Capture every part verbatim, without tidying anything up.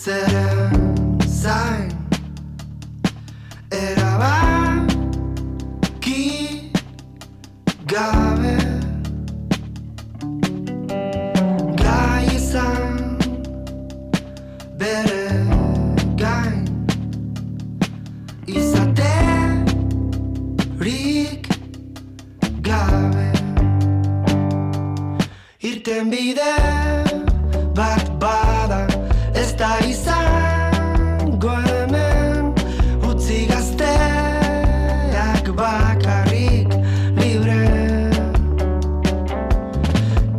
zeren zain erabaki gabe gai izan bere gain izaterik gabe irten bide bat bada ez da izango hemen utzi gazteak bakarrik libre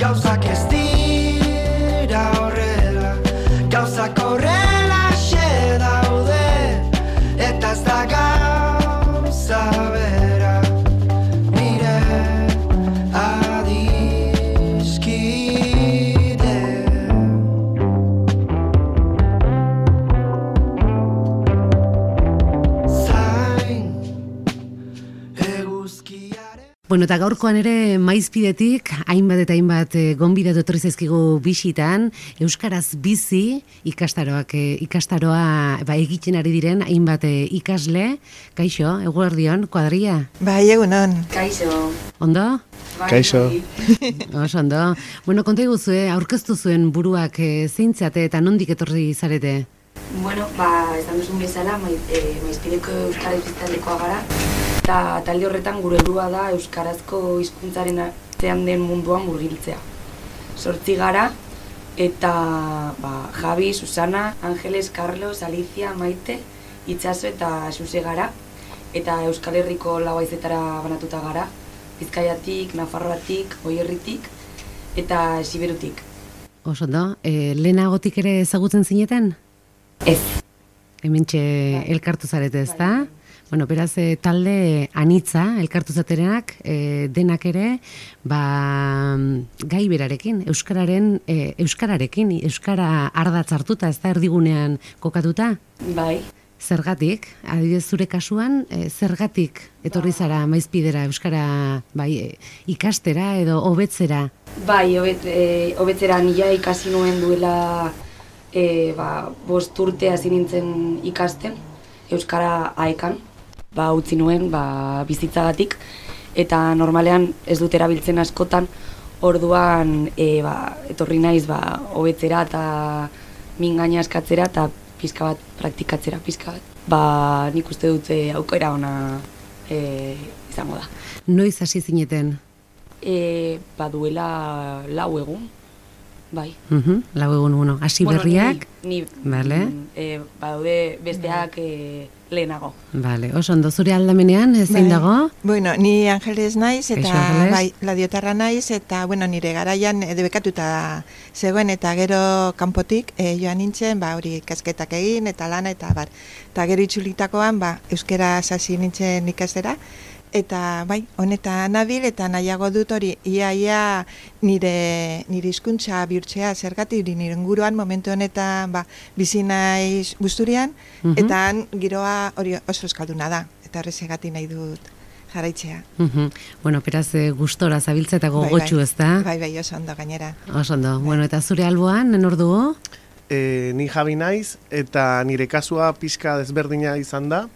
gauzak ez dira horrela gauzak horrela xe daude eta ez da gauza bera nire adiskide zain eguzkiaren. Bueno, eta gaurkoan ere maizpidetik hainbat eta hainbat eh, gonbidatu etorri zaizkigu bisitan, euskaraz bizi ikastaroak eh, ikastaroa ba, egiten ari diren hainbat eh, ikasle. Kaixo, eguerdion, kuadria. Bai, egunon. Kaixo. Ondo? Kaixo. Oso ondo. Bueno, konta iguzue, aurkeztu zuen buruak eh, zeintzate eta nondik etorri zarete? Bueno, ba, esan duzun bezala, maiz, e, maizpideko euskara iztaldekoa gara, eta talde horretan gure helburua da euskarazko hizkuntzaren artean den munduan murgiltzea. Zortzi gara, eta ba, Javi, Susana, Angeles, Carlos, Alicia, Maite, Itxaso eta Xuse gara, eta Euskal Herriko lau haizetara banatuta gara, Bizkaiatik, Nafarroatik, Goierritik eta Siberutik. Oso ondo, eh, lehenagotik ere ezagutzen zineten? Ez. Hementxe Bai. elkartu zarete, ezta? Bai. Bueno, beraz, eh, talde anitza, elkartu zaterenak, eh, denak ere, ba, gai berarekin, euskararen, eh, euskararekin, euskara ardatz hartuta, ez da erdigunean kokatuta? Bai. Zergatik, adibidez zure kasuan, eh, zergatik etorri zara maizpidera euskara bai, eh, ikastera edo hobetzera? Bai, hobet, e, hobetzera nila ikasi nuen duela e, ba, bost urte hasi nintzen ikasten, euskara aekan, ba, utzi nuen ba, bizitzagatik, eta normalean ez dut erabiltzen askotan, orduan e, ba, etorri naiz ba, hobetzera eta min gaina eskatzera eta pizka bat praktikatzera, pizka bat. Ba, nik uste dut e, aukera ona e, izango da. Noiz hasi zineten? E, ba, duela lau egun, bai. Uh-huh, lau egun uno. Hasi Bueno, berriak? Ni, ni Vale. mm, e, badaude besteak e, lehenago. Vale, oso ondo, zure aldamenean, zein Bai. dago? Bueno, ni Angeles naiz eta Kaixo, Angeles. bai, ladiotarra naiz eta bueno, nire garaian e, debekatuta zegoen eta gero kanpotik e, joan nintzen, ba hori kasketak egin eta lana eta bar. Eta gero itzulitakoan ba euskera hasi nintzen ikastera. Eta bai, honetan nabil eta nahiago dut hori iaia nire nire hizkuntza bihurtzea zergatik nire inguruan momentu honetan ba bizi naiz Busturian Mhm. eta han giroa hori oso euskalduna da eta horregatik nahi dut jarraitzea. Uh-huh. Bueno, beraz, eh, gustora zabiltza eta gogotxu, bai, ezta? Bai, bai, oso ondo gainera. Oso ondo. Bueno, eta zure alboan, nor dugu? E, ni Javi naiz eta nire kasua pixka desberdina izan da.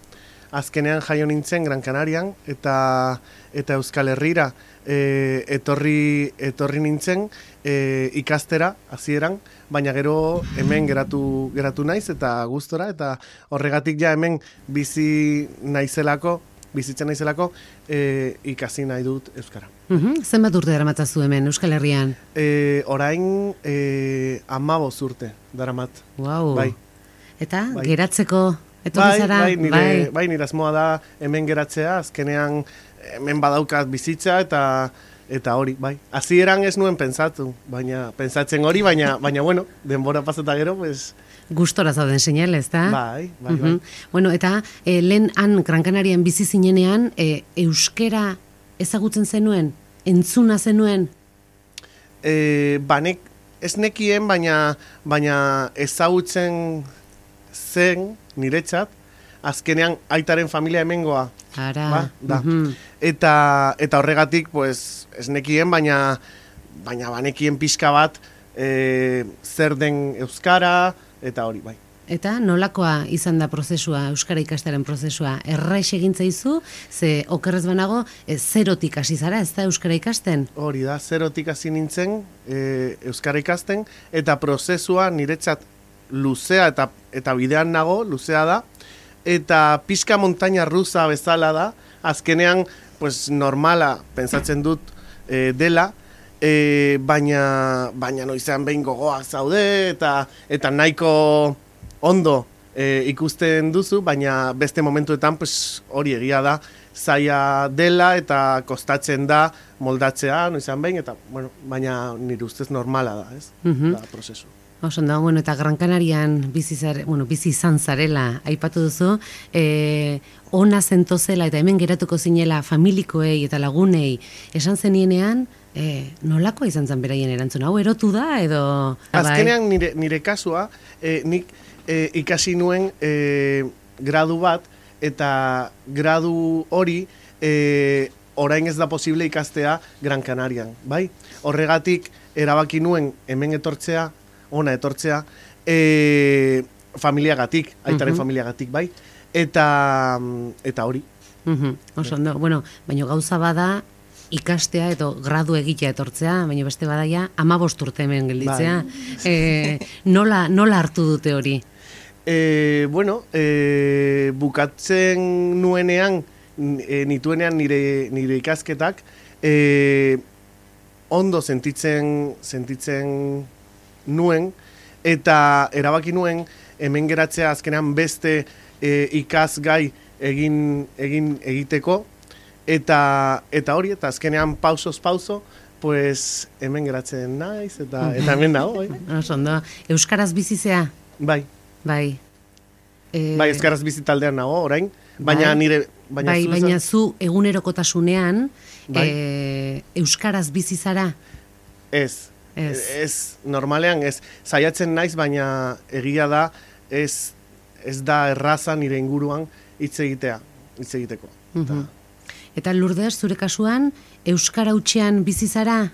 Azkenean jaio nintzen Gran Canarian eta eta Euskal Herrira e, etorri etorri nintzen e, ikastera hasieran, baina gero hemen geratu geratu naiz eta gustora eta horregatik ja hemen bizi naizelako, bizitzen naizelako e, ikasi nahi dut euskara. Uh-huh. Zenbat urte daramatzazu hemen Euskal Herrian? E, orain e, hamabost urte daramat. Wow. Bai. Eta Bai. geratzeko etorri Bai, zara? bai, nire, bai, nire asmoa da hemen geratzea, azkenean hemen badaukat bizitza eta eta hori, bai. Hasieran ez nuen pentsatu, baina pentsatzen hori, baina baina bueno, denbora pasata gero, pues Gustora zauden seinale, ezta? bai, bai, Uh-huh. bai. Bueno, eta eh, lehen han Gran Canarian bizi zinenean, eh, euskera ezagutzen zenuen, entzuna zenuen? Eh, banek ez nekien, baina baina ezagutzen zen niretzat, azkenean aitaren familia hemengoa. Ara. Ba, da. Mhm. Eta eta horregatik pues ez nekien, baina baina banekien pixka bat e, zer den euskara eta hori bai. Eta nolakoa izan da prozesua, euskara ikastaren prozesua? Erraiz egin zaizu, ze okerrez banago, e, zerotik hasi zara, ez da euskara ikasten? Hori da, zerotik hasi nintzen e, euskara ikasten, eta prozesua niretzat luzea eta eta bidean nago, luzea da, eta pixka montaña rusa bezala da, azkenean pues, normala pentsatzen dut e, dela, e, baina, baina noizean behin gogoak zaude, eta, eta nahiko ondo e, ikusten duzu, baina beste momentuetan pues, hori egia da, zaila dela eta kostatzen da moldatzea, noizean behin, eta bueno, baina nire ustez normala da, ez? Mhm. Da, prozesu. Oso da, bueno, eta Gran Canarian bizi, zare, bueno, bizi izan zarela aipatu duzu, e, ona zentozela eta hemen geratuko zinela familikoei eta lagunei esan zenienean, e, nolakoa izan zen beraien erantzun? Hau erotu da edo... Azkenean nire, nire kasua, e, nik e, ikasi nuen e, gradu bat, eta gradu hori e, orain ez da posible ikastea Gran Canarian, bai? Horregatik erabaki nuen hemen etortzea, ona etortzea, e, familiagatik, aitaren Mhm. familiagatik, bai? Eta, eta hori. Mhm, oso ondo, bueno, baina gauza bada ikastea edo gradu egitea etortzea, baina beste badaia hamabost urte hemen gelditzea. E, nola, nola hartu dute hori? E, bueno, e, bukatzen nuenean, e, nituenean nire, nire ikasketak, e, ondo sentitzen, sentitzen nuen, eta erabaki nuen hemen geratzea azkenean beste e, ikasgai egin, egin egiteko, eta, eta hori, eta azkenean pausoz pauso, pues hemen geratzen naiz, eta, eta hemen nago, bai. Oso ondo, euskaraz bizizea? Bai. Bai. E, Bai, euskaraz bizi taldean nago, orain, baina bai. nire... Baina bai, zu, baina zu egunerokotasunean Bai. e, euskaraz bizi zara? Ez. Ez. Ez, normalean ez. Saiatzen naiz, baina egia da, ez, ez da erraza nire inguruan hitz egitea, hitz egiteko. Mhm. Eta Lourdes, zure kasuan, euskara hutsean bizi zara?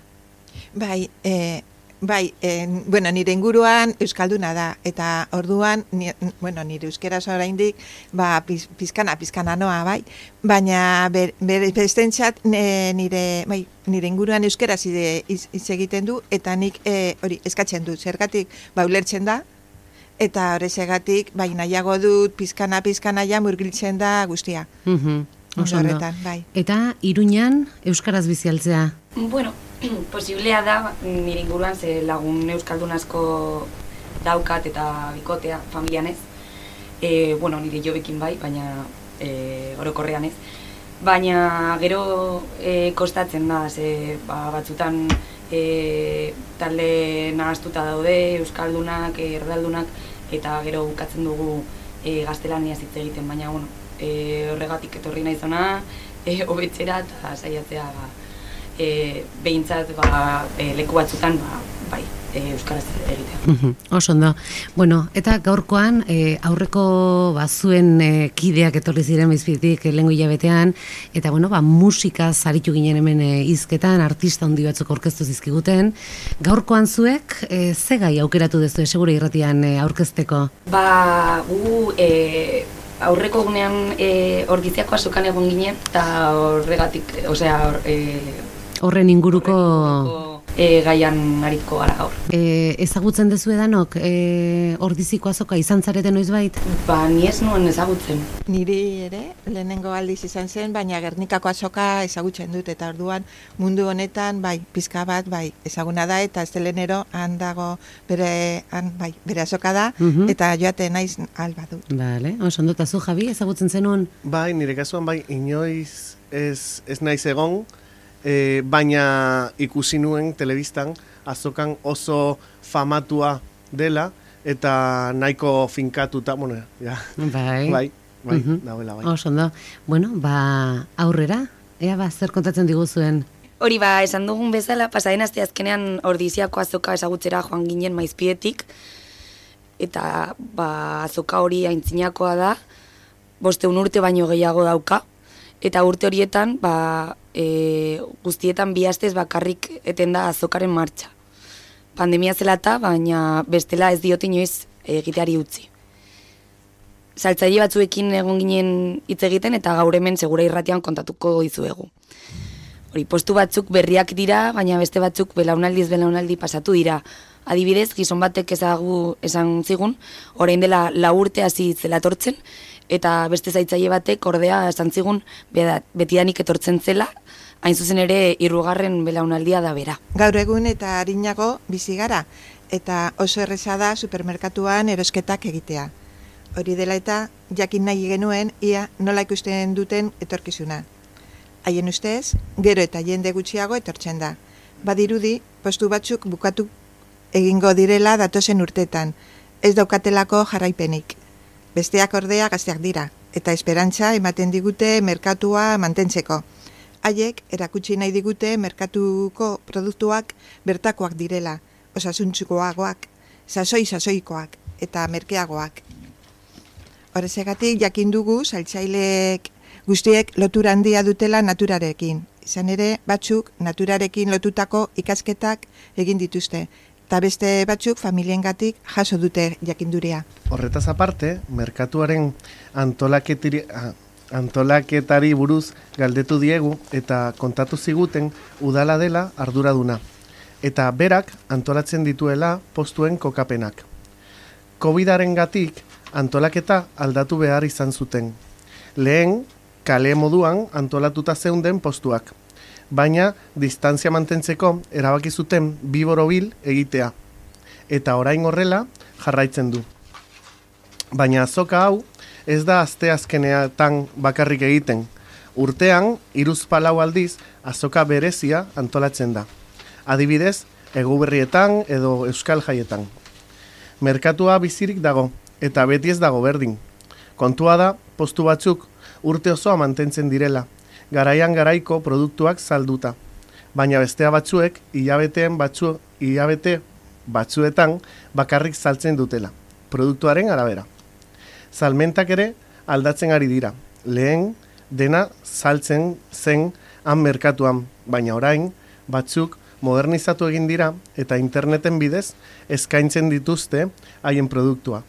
Bai, e, bai e, bueno, nire inguruan euskalduna da, eta orduan, ni, bueno, nire euskeraz oraindik, ba, piz, pizkana, pizkana noa, bai, baina ber, ber, bestentzat nire, bai, nire inguruan euskeraz hitz egiten du, eta nik e, hori eskatzen dut, zergatik, ba, ulertzen da, eta horrezegatik, bai, nahiago dut, pizkana, pizkana ja murgiltzen da guztia. Mhm. Oso ondo. Horretan, bai. Eta Iruñan euskaraz bizi altzea? Bueno, posiblea da, nire inguruan ze lagun euskaldun asko daukat eta bikotea familian ez. E, bueno, nire jobekin bai, baina e, orokorrean ez. Baina gero e, kostatzen da, ze ba, batzutan e, talde nahaztuta daude, euskaldunak, erdaldunak, eta gero bukatzen dugu e, gaztelaniaz hitz egiten, baina bueno, E, horregatik etorri naizona, e, hobetzera eta saiatzea ba, e, behintzat ba, e, leku batzutan ba, bai, e, euskaraz egitea. Mhm, oso ondo. Bueno, eta gaurkoan e, aurreko bazuen e, kideak etorri ziren Maizpidetik lehengo hilabetean, eta bueno, ba, musikaz aritu ginen hemen e, hizketan, artista handi batzuk aurkeztu zizkiguten. Gaurkoan zuek, e, ze gai aukeratu duzu Segure Irratian e, aurkezteko? Ba, gu e, aurreko gunean e, Orgiziako azokan egon ginen, eta horregatik, osea, or, e, horren inguruko... E, gaian arituko gara gaur. E, ezagutzen dezu edanok e, Ordiziko azoka izan zarete noizbait? Ba, ni ez nuen ezagutzen. Niri ere, lehenengo aldiz izan zen, baina Gernikako azoka ezagutzen dut, eta orduan mundu honetan, bai, pizka bat, bai, ezaguna da, eta estelenero han dago bere, han, bai, bere azoka da, Mhm. eta joate naiz alba dut. Vale, oso ondo, eta zu, Javi, ezagutzen zenuen? Bai, nire kasuan bai, inoiz ez, ez naiz egon, e, baina ikusi nuen telebistan azokan oso famatua dela, eta nahiko finkatuta, bueno, ja, Bai. bai, bai, Mhm. dauela, bai. Oso ondo. Bueno, ba, aurrera, ea ba, zer kontatzen diguzuen? Hori ba, esan dugun bezala, pasaden aste azkenean Ordiziako azoka ezagutzera joan ginen Maizpidetik, eta ba, azoka hori aintzinakoa da, bosteun urte baino gehiago dauka, eta urte horietan ba, e, guztietan bi astez bakarrik eten da azokaren martxa. Pandemia zela eta, baina bestela ez diot inoiz egiteari utzi. saltzaile batzuekin egon ginen hitz egiten eta gaur hemen segura irratian kontatuko dizuegu. Hori, postu batzuk berriak dira, baina beste batzuk belaunaldiz belaunaldi pasatu dira. Adibidez, gizon batek ezagu esan zigun, orain dela lau urte hasi zela etortzen, eta beste zaitzaile batek ordea esan zigun betidanik etortzen zela, hain zuzen ere hirugarren belaunaldia da bera. Gaur egun eta arinago bizi gara, eta oso erreza da supermerkatuan erosketak egitea. Hori dela eta jakin nahi genuen ia nola ikusten duten etorkizuna. Haien ustez, gero eta jende gutxiago etortzen da. Badirudi, postu batzuk bukatu egingo direla datozen urtetan, ez daukatelako jarraipenik. Besteak ordea gazteak dira, eta esperantza ematen digute merkatua mantentzeko. Haiek erakutsi nahi digute merkatuko produktuak bertakoak direla, osasuntzukoagoak, sasoi-sasoikoak eta merkeagoak. Horrezegatik jakin dugu saltzaileek guztiek lotura handia dutela naturarekin. Izan ere, batzuk naturarekin lotutako ikasketak egin dituzte, eta beste batzuk familiengatik jaso dute jakinduria. Horretaz aparte, merkatuaren antolaketiri, antolaketari buruz galdetu diegu eta kontatu ziguten udala dela arduraduna, eta berak antolatzen dituela postuen kokapenak. Covidarengatik antolaketa aldatu behar izan zuten. Lehen, kale moduan antolatuta zeunden postuak, baina distantzia mantentzeko erabaki zuten bi borobil egitea, eta orain horrela jarraitzen du. Baina azoka hau ez da asteazkeneatan bakarrik egiten. Urtean, hiruzpalau aldiz azoka berezia antolatzen da. Adibidez, Eguberrietan edo Euskal Jaietan. Merkatua bizirik dago, eta beti ez dago berdin. Kontua da, postu batzuk urte osoa mantentzen direla, garaian garaiko produktuak salduta. Baina bestea batzuek, hilabeteen batzu, hilabete batzuetan bakarrik saltzen dutela, produktuaren arabera. Salmentak ere aldatzen ari dira. Lehen dena saltzen zen han merkatuan, baina orain batzuk modernizatu egin dira eta interneten bidez eskaintzen dituzte haien produktua.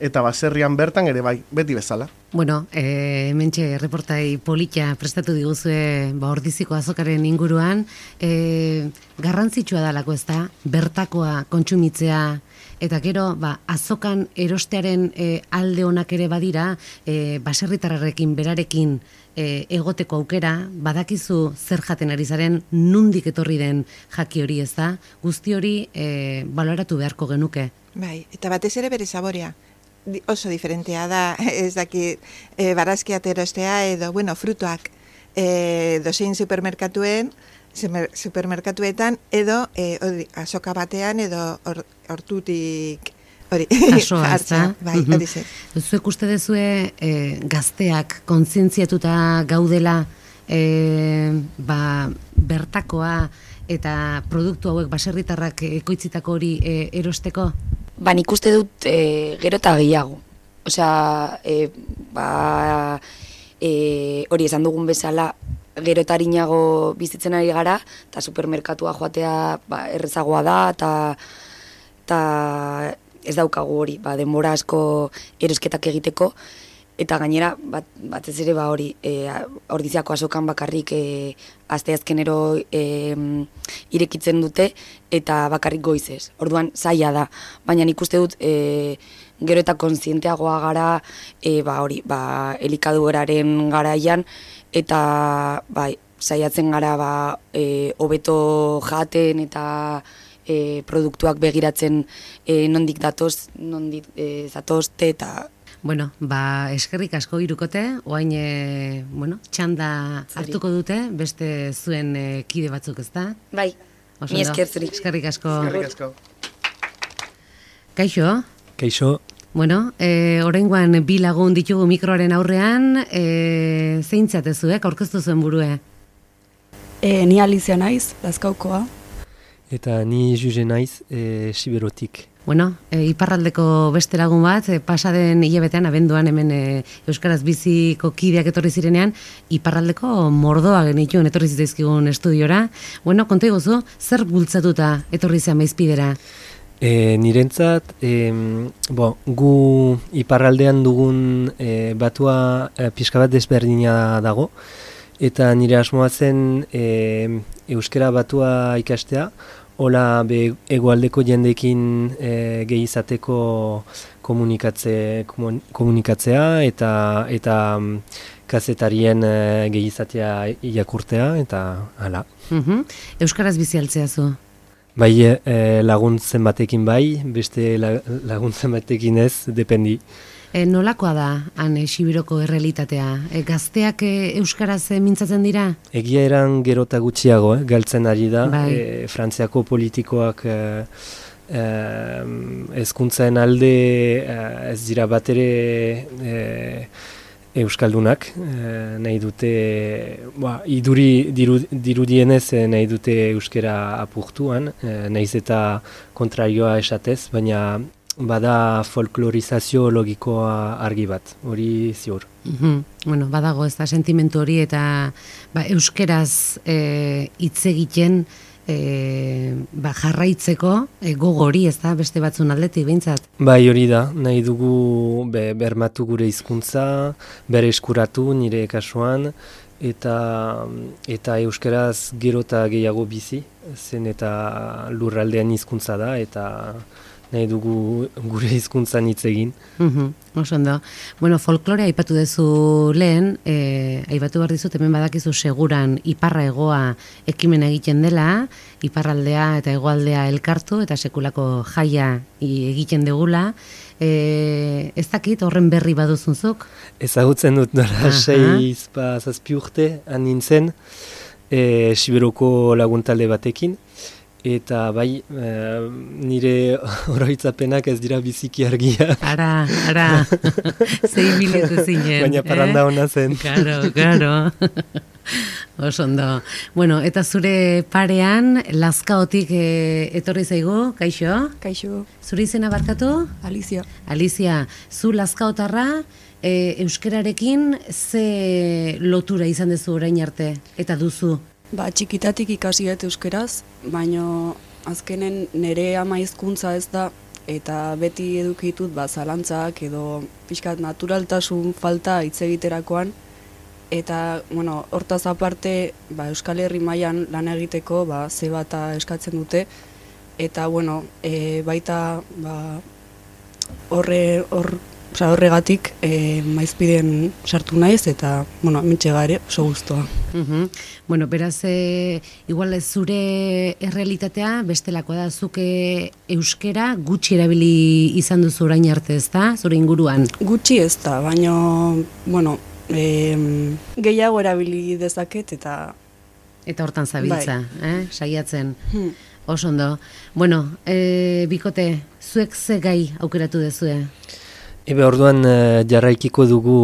Eta baserrian bertan ere bai, beti bezala. Bueno, e, hementxe reportai polita prestatu diguzue ba, Ordiziko azokaren inguruan, e, garrantzitsua dalako ez da, bertakoa kontsumitzea, eta gero ba, azokan erostearen e, alde onak ere badira, e, baserritarrarekin berarekin e, egoteko aukera, badakizu zer jaten ari zaren, nundik etorri den jaki hori ez da, guzti hori e, baloratu beharko genuke. Bai, eta batez ere bere saborea. Oso diferentea da, ez daki, e, barazkia erostea edo, bueno, frutuak e, dozein supermerkatuen, supermerkatuetan edo e, odi, azoka batean edo or, hortutik hori hartza. Bai, hori zer. Zuek uste dezue e, gazteak kontzientziatuta gaudela e, ba, bertakoa eta produktu hauek baserritarrak ekoitzitako hori e, erosteko? Ba, nik uste dut e, gero eta gehiago. Osea, e, ba, e, hori esan dugun bezala, gero eta harinago bizitzen ari gara, eta supermerkatua joatea ba, errezagoa da, eta, eta ez daukagu hori, ba, denbora asko erosketak egiteko, eta gainera, bat, batez ere ba hori, e, Ordiziako azokan bakarrik e, asteazkenero e, irekitzen dute, eta bakarrik goizez. Orduan, zaila da. Baina nik uste dut, e, gero eta kontzienteagoa gara, e, ba hori, ba, elikaduraren garaian, eta bai, saiatzen gara ba, e, hobeto jaten, eta e, produktuak begiratzen e, nondik datoz, nondik e, zatozte, eta Bueno, ba, eskerrik asko hirukote, oain, e, bueno, txanda hartuko dute, beste zuen e, kide batzuk, ez da? Bai, mi esker zuri. Eskerrik asko. Eskerrik asko. Kaixo? Kaixo. Bueno, e, oraingoan bi lagun ditugu mikroaren aurrean, e, zein zatezuek, aurkeztu zuen burue? E, ni Alizia naiz, Lazkaukoa. Eta ni Juge naiz, e, Siberotik. Bueno, e, iparraldeko beste lagun bat, e, pasaden hilabetean, abenduan hemen e, Euskaraz biziko kideak etorri zirenean, iparraldeko mordoa genituen etorri zitzaizkigun estudiora. Bueno, konta iguzu, zer bultzatuta etorri zean Maizpidera? E, nirentzat, e, bo, gu iparraldean dugun e, batua e, pixka bat desberdina dago, eta nire asmoa zen e, euskara batua ikastea, hola be, egoaldeko jendekin e, gehi izateko komunikatze, komun, komunikatzea eta eta kazetarien e, gehi izatea irakurtea eta hala. Mhm. Euskaraz bizi altzea zu? Bai, e, laguntzen batekin bai, beste la, laguntzen batekin ez, dependi. E, nolakoa da, han, e, Sibiroko errealitatea? E, gazteak e, euskaraz e, mintzatzen dira? Egia eran gerota gutxiago, eh, galtzen ari da. Bai. E, Frantziako politikoak e, e, hezkuntzaren alde e, ez dira batere e, euskaldunak, e, nahi dute, ba, iduri diru, dirudienez e, nahi dute euskera apurtuan, e, nahiz eta kontrarioa esatez, baina bada folklorizazio logikoa argi bat, hori ziur. Mhm. Bueno, badago ez da sentimentu hori eta ba, euskeraz e, hitz egiten e, ba, jarraitzeko e, gogo hori ez da beste batzun aldetik behintzat. Bai, hori da, nahi dugu be, bermatu gure hizkuntza, bere eskuratu nire kasuan, eta eta euskeraz gero eta gehiago bizi, zen eta lurraldean hizkuntza da, eta nahi dugu gure hizkuntzan hitz egin. Mhm, oso ondo. Bueno, folklorea aipatu duzu lehen, e, aipatu behar dizut, hemen badakizu seguran iparra hegoa ekimen egiten dela, iparraldea eta hegoaldea elkartu eta sekulako jaia egiten degula. E, ez dakit horren berri baduzunzuk? Ezagutzen dut nola sei zazpi urte han nintzen, e, Sibiroko laguntalde batekin. Eta bai, e, nire oroitzapenak ez dira biziki argia. Ara, ara, zei biletu zinen. Baina parranda hona zen. Karo, karo. Oso ondo. Bueno, eta zure parean, Lazkaotik e, etorri zaigu, kaixo? Kaixo, Zure izena barkatu? Alicia. Alicia, zu Lazkaotarra, e, euskerarekin ze lotura izan duzu orain arte, eta duzu? Ba, txikitatik ikasi dut euskeraz, baina azkenen nire ama hizkuntza ez da, eta beti edukitut ba, zalantzak edo pixkat naturaltasun falta hitz egiterakoan, eta bueno, hortaz aparte ba, Euskal Herri mailan lan egiteko ba, ze bata eskatzen dute, eta bueno, e, baita ba, horre, hor, oza, horregatik e, maizpiden sartu naiz eta bueno, mintxe gare oso guztua. Uhum. Bueno, beraz, e, igual ez zure errealitatea bestelako da, zuke euskera gutxi erabili izan duzu orain arte, ez da, zure inguruan? Gutxi ez da, baina bueno, e, gehiago erabili dezaket eta Eta hortan zabiltza, eh? Saiatzen. hmm. Oso ondo. Bueno, e, bikote, zuek ze gai aukeratu dezue? Ebe orduan e, jarraikiko dugu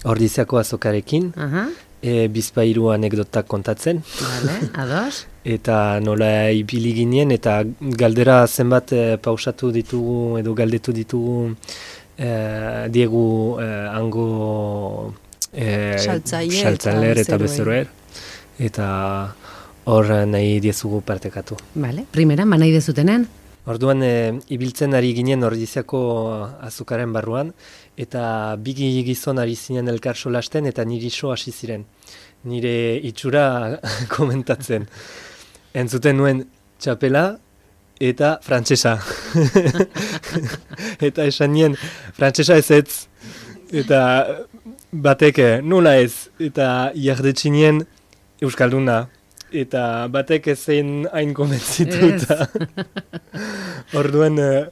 Ordiziako azokarekin, Aha, e, bizpahiru anekdotak kontatzen. vale, ados. Eta nola ibili ginen, eta galdera zenbat e, pausatu ditugu edo galdetu ditugu e, diegu e, hango e, Saltzaile eta saltzailer eta bezeroer. bezeroer. Eta hor nahi diezugu partekatu. Vale, primera, manai dezutenen? Orduan e, ibiltzen ari ginen Ordiziako azukaren barruan, eta bi gizon ari zinen elkar solasten eta niri so hasi ziren. Nire itxura komentatzen. Entzuten nuen txapela eta frantsesa. Eta esan nien, frantsesa ez ez. Eta batek, nola ez. Eta jardetxinien euskalduna. Eta batek ezein hain komentzituta. Orduan uh,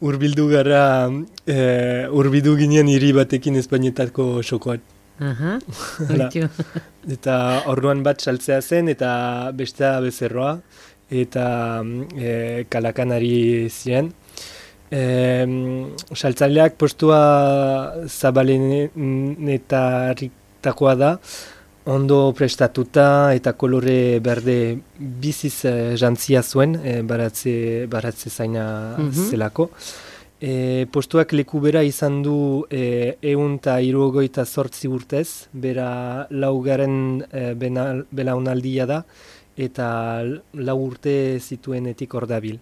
urbildu gara, uh, urbildu ginen hiri batekin Espainietako xokoan. Aha, Hala. oitxo. Eta orduan bat saltzea zen eta bestea bezerroa. Eta e, kalakan ari ziren. E, saltzaileak postua zabalenetakoa da, ondo prestatuta eta kolore berde biziz e, jantzia zuen, e, baratze, baratze zaina Mhm. zelako. E, postuak leku bera izan du e, eun eta hirurogeita zortzi urtez, bera laugaren e, bena- belaunaldia da, eta lau urte zituenetik hor dabil.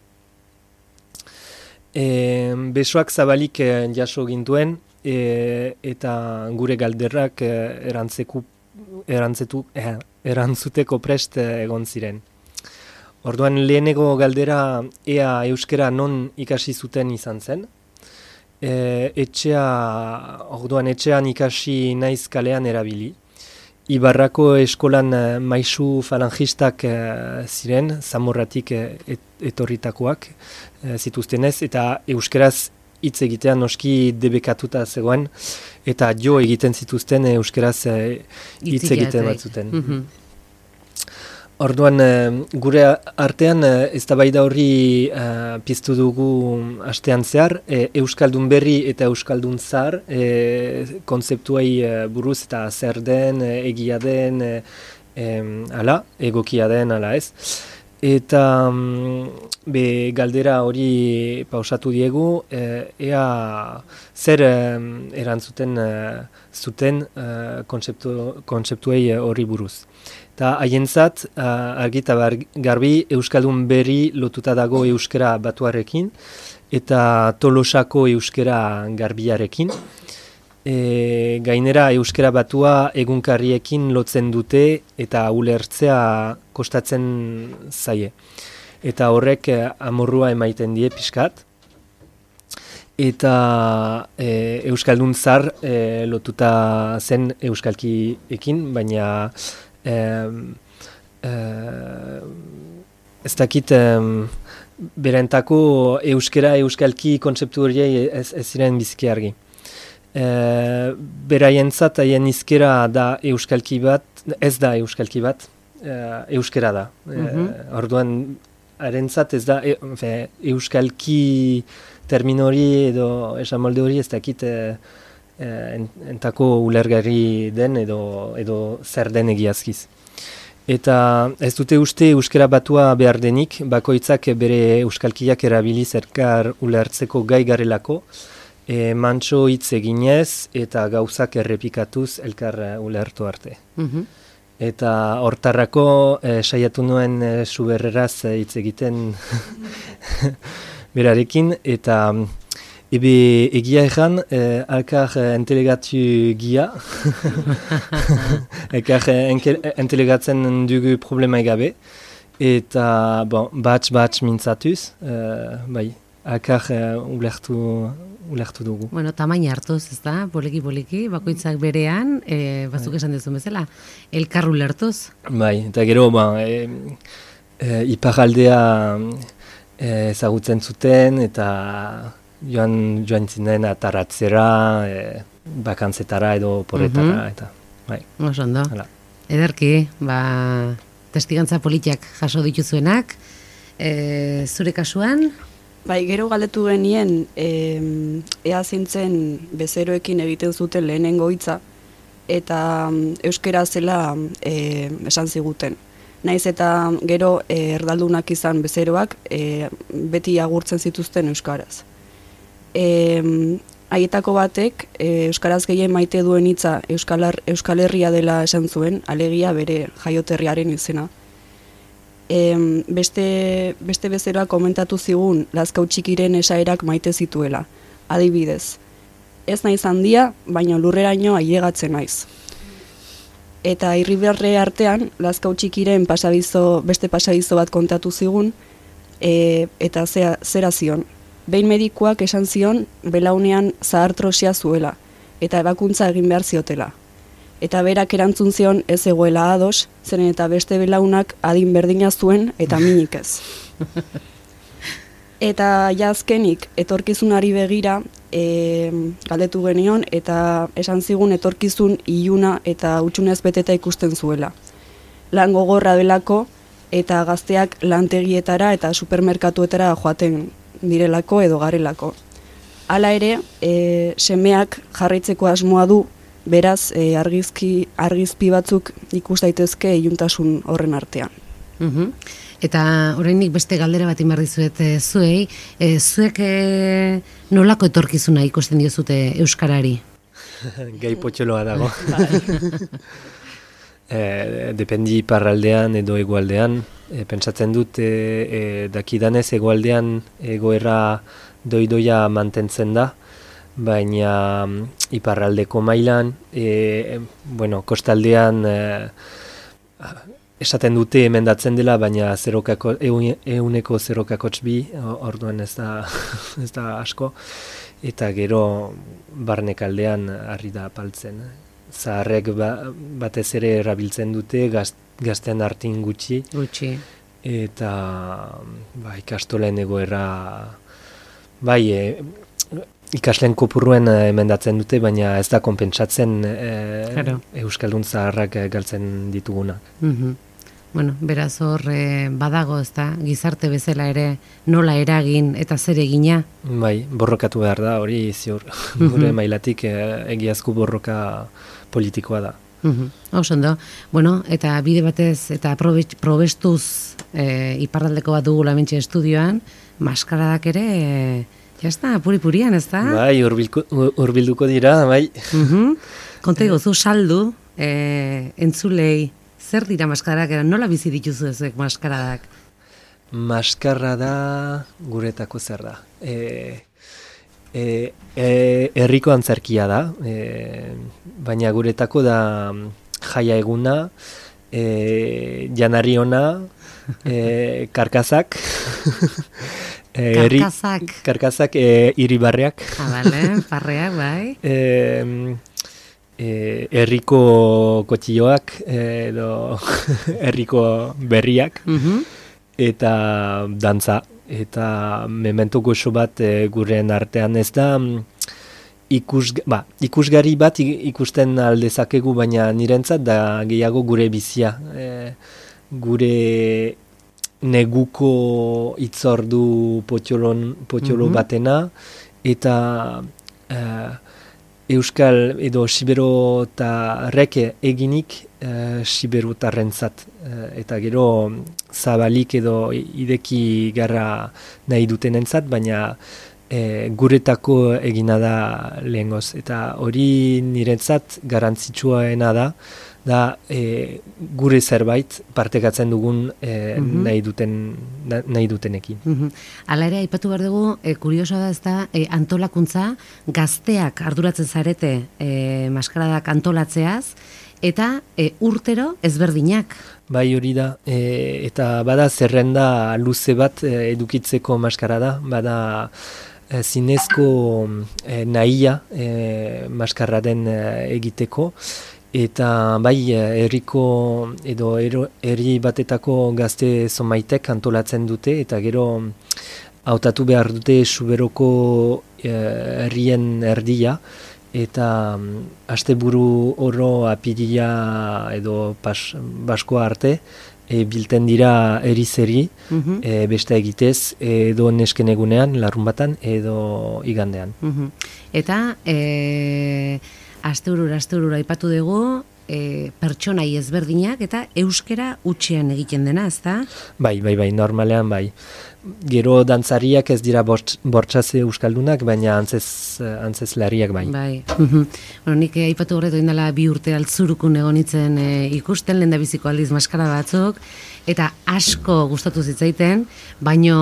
E, besoak zabalik e, jaso gintuen, e, eta gure galderrak e, erantzeku, erantzetu, e, erantzuteko prest egon ziren. Orduan lehenego galdera ea euskera non ikasi zuten izan zen. E, etxea, orduan etxean ikasi naiz kalean erabili. Ibarrako eskolan e, maisu falangistak e, ziren, Zamorratik e, et, etorritakoak e, zituztenez, eta euskeraz hitz egitean noski debekatuta zegoen, eta jo egiten zituzten euskeraz e, hitz egiten bat zuten. Mhm. Orduan, gure artean eztabaida horri uh, piztu dugu astean zehar, e, Euskaldun berri eta Euskaldun zahar e, kontzeptuei e, buruz eta zer den, e, egia den, e, e, ala, egokia den, ala ez. Eta be, galdera hori pausatu diegu, e, ea zer e, erantzuten e, zuten e, kontzeptu, kontzeptuei horri buruz. Eta haientzat, uh, argita garbi, Euskaldun berri lotuta dago euskera batuarekin, eta Tolosako euskera garbiarekin. E, gainera euskera batua egunkarriekin lotzen dute eta ulertzea kostatzen zaie. Eta horrek eh, amorrua emaiten die pixkat. Eta e, Euskaldun zar e, lotuta zen euskalkiekin, baina Eh, eh, ez dakit eh, berentako euskera euskalki kontzeptu horiei ez, ez ziren biziki argi. Eh, beraientzat haien hizkera da euskalki bat, ez da euskalki bat, eh, euskera da. Mhm. Eh, orduan harentzat ez da e, fe, euskalki terminori edo esamolde hori ez dakit eh, entako ulergarri den edo, edo zer den egiazkiz. Eta ez dute uste euskera batua behar denik, bakoitzak bere euskalkiak erabiliz elkar ulertzeko gai garelako, e, mantso hitz eginez eta gauzak errepikatuz elkar ulertu arte. Mhm. Eta hortarrako e, saiatu nuen e, suberreraz hitz egiten berarekin, eta ebe egia egan, eh, alkar eh, entelegatu gia, alkar eh, entelegatzen dugu problema egabe, eta bon, batx-batx mintzatuz, eh, bai, alkar eh, ulertu, ulertu dugu. Bueno, tamaina hartuz, ez da, poliki-poliki, bakoitzak berean, eh, batzuk esan duzun bezala, elkar ulertuz. Bai, eta gero, ba, eh, eh, iparaldea eh, ezagutzen zuten, eta joan joan zinen ataratzera, e, bakantzetara edo porretara, mm-hmm. eta bai. Oso ondo. Hala. Ederki, ba, testigantza politiak jaso dituzuenak, e, zure kasuan? Bai, gero galdetu genien, e, ea zintzen bezeroekin egiten zuten lehenengo hitza, eta euskera zela e, esan ziguten. Naiz eta gero e, erdaldunak izan bezeroak, e, beti agurtzen zituzten euskaraz. E, haietako batek e, euskaraz gehien maite duen hitza Euskal, Euskal Herria dela esan zuen, alegia bere jaioterriaren izena. E, beste, beste bezeroak komentatu zigun Lazkau Txikiren esaerak maite zituela. Adibidez, ez naiz handia, baina lurreraino ailegatzen naiz. Eta Irribarre artean Lazkau Txikiren pasabizo, beste pasabizo bat kontatu zigun, e, eta zera, zera zion. Behin medikuak esan zion belaunean zahartrosia zuela, eta ebakuntza egin behar ziotela. Eta berak erantzun zion ez egoela ados, zeren eta beste belaunak adin berdina zuen eta minik ez. Eta jazkenik etorkizunari begira e, galdetu genion, eta esan zigun etorkizun iluna eta hutsunez beteta ikusten zuela. Lan gogorra delako eta gazteak lantegietara eta supermerkatuetara joaten direlako edo garelako. Hala ere, e, semeak jarraitzeko asmoa du, beraz e, argizki, argizpi batzuk ikus daitezke iluntasun horren artean. Mhm. Eta oraindik beste galdera bat inbar dizuet e, zuei, e, zuek e, nolako etorkizuna ikusten diozute euskarari? Gai potxoloa dago. E, dependi iparraldean edo hegoaldean, e, pentsatzen dut e, e, dakidanez hegoaldean egoera doidoia mantentzen da, baina mm, iparraldeko mailan, e, bueno, kostaldean e, esaten dute emendatzen dela, baina zerokako, eun, euneko zerokakotx bi, orduan ez da, ez da asko, eta gero barnekaldean harri da apaltzen. Zaharrek ba, batez ere erabiltzen dute, gaz, gaztean hartin gutxi, Gutxi. eta ba, ikastolen egoera, bai, e, ikasleen kopurruen emendatzen dute, baina ez da konpentsatzen e, Claro. Euskaldun zaharrak galtzen ditugunak. Mhm. Bueno, beraz hor eh, badago, ezta, gizarte bezala ere nola eragin eta zer egina. Bai, borrokatu behar da, hori ziur. Gure mailatik e, egiazko borroka politikoa da. Mhm. Oso ondo. Bueno, eta bide batez eta probe- probestuz eh, iparraldeko bat dugu lamentxe estudioan, maskaradak ere, eh, jazta, puri-purian, ez da? Bai, hurbilko- hurbilduko dira, bai. Mhm. Konta iguzu saldu, eh, entzulei, zer dira maskaradak, nola bizi dituzu ezek maskaradak? Maskarra da guretako zer da. E, e, e, herriko antzerkia da, e, baina guretako da jaia eguna, e, janari ona, e, karkazak, e, herri- Karkazak. karkazak e, iribarreak, Ah, bale, parreak, bai. e, e, herriko kotxioak, edo herriko berriak, Mhm. eta dantza, eta memento goxo bat e, guren artean ez da mm, ikus, ba, ikusgari bat i- ikusten aldezakegu, baina nirentzat da gehiago gure bizia. E, gure neguko itzordu potxolon, potxolo Mhm. batena, eta e, Euskal edo siberotarrek eginik e, siberotarrentzat. E, eta gero zabalik edo ideki garra nahi dutenentzat, baina e, guretako egina da lehengoz. Eta hori niretzat garantzitsuaena da, da e, gure zerbait partekatzen dugun e, Mhm. nahi, duten, na- nahi dutenekin. Mhm. Hala ere, aipatu behar dugu, e, kuriosoa da ez da, e, antolakuntza, gazteak arduratzen zarete e, maskaradak antolatzeaz, eta e, urtero ezberdinak. Bai, hori da, e, eta bada zerrenda luze bat e, edukitzeko maskara da, bada e, zinezko e, nahia e, maskarra den e, egiteko, eta bai e, herriko edo ero- herri batetako gazte zomaitek antolatzen dute, eta gero hautatu behar dute Suberoko e, herrien erdia, eta mm, asteburu oro apirila edo pas, baskoa arte e, bilten dira erizeri, Mhm. e, beste egitez, edo nesken egunean, larun batan, edo igandean. Mhm. Eta e, asteurura, asteurura aipatu dugu, e, pertsonai ezberdinak eta euskera utxean egiten dena, ezta? Bai, bai, bai, normalean bai. Gero dantzariak ez dira bortz- bortxaz euskaldunak, baina antzez, antzezlariak bai. Bai. Mhm. Bueno, nik eh, aipatu horretu indala bi urte altzurukun egonitzen e, ikusten, lehen da biziko aldiz maskara batzuk, eta asko gustatu zitzaiten, baino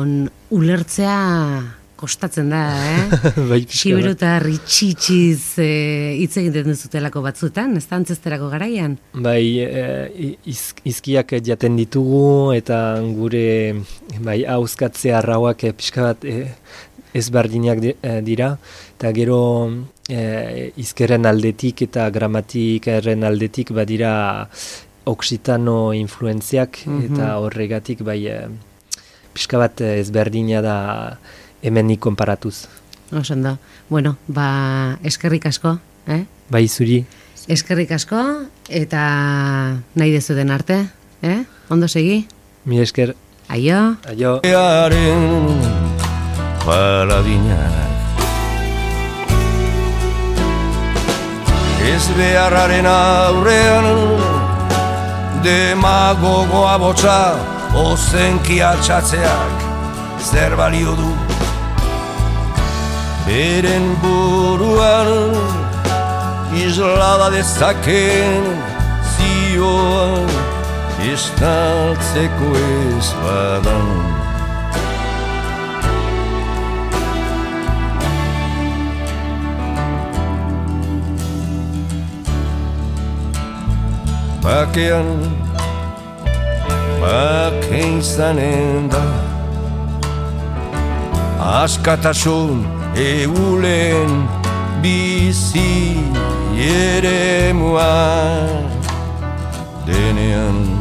n- ulertzea kostatzen da, eh? Bai, pixka bat. Siberutar itxitsiz e, hitz egiten duzutelako batzutan, ez da antzesterako garaian? Bai, e, iz, izkiak jaten ditugu, eta gure bai, hauzkatze arrauak e, pixka bat e, ezberdinak di- e, dira, eta gero e, izkerren aldetik eta gramatikaren aldetik badira oksitano influenziak, Mhm. eta horregatik bai e, pixka bat ezberdina da hemenik konparatuz. Oso ondo. Bueno, ba, eskerrik asko, eh? Bai, zuri, Eskerrik asko, eta nahi dezuten arte, eh? Ondo segi? mi esker, Aio! aio. Earen paradinak ez beharraren aurrean demagogoa botza ozenki altxatzeak zer balio du beren buruan islada dezaken zioan estaltzeko ez badan bakean bake izanen da. Askatasun eulen bizi ere mua denean.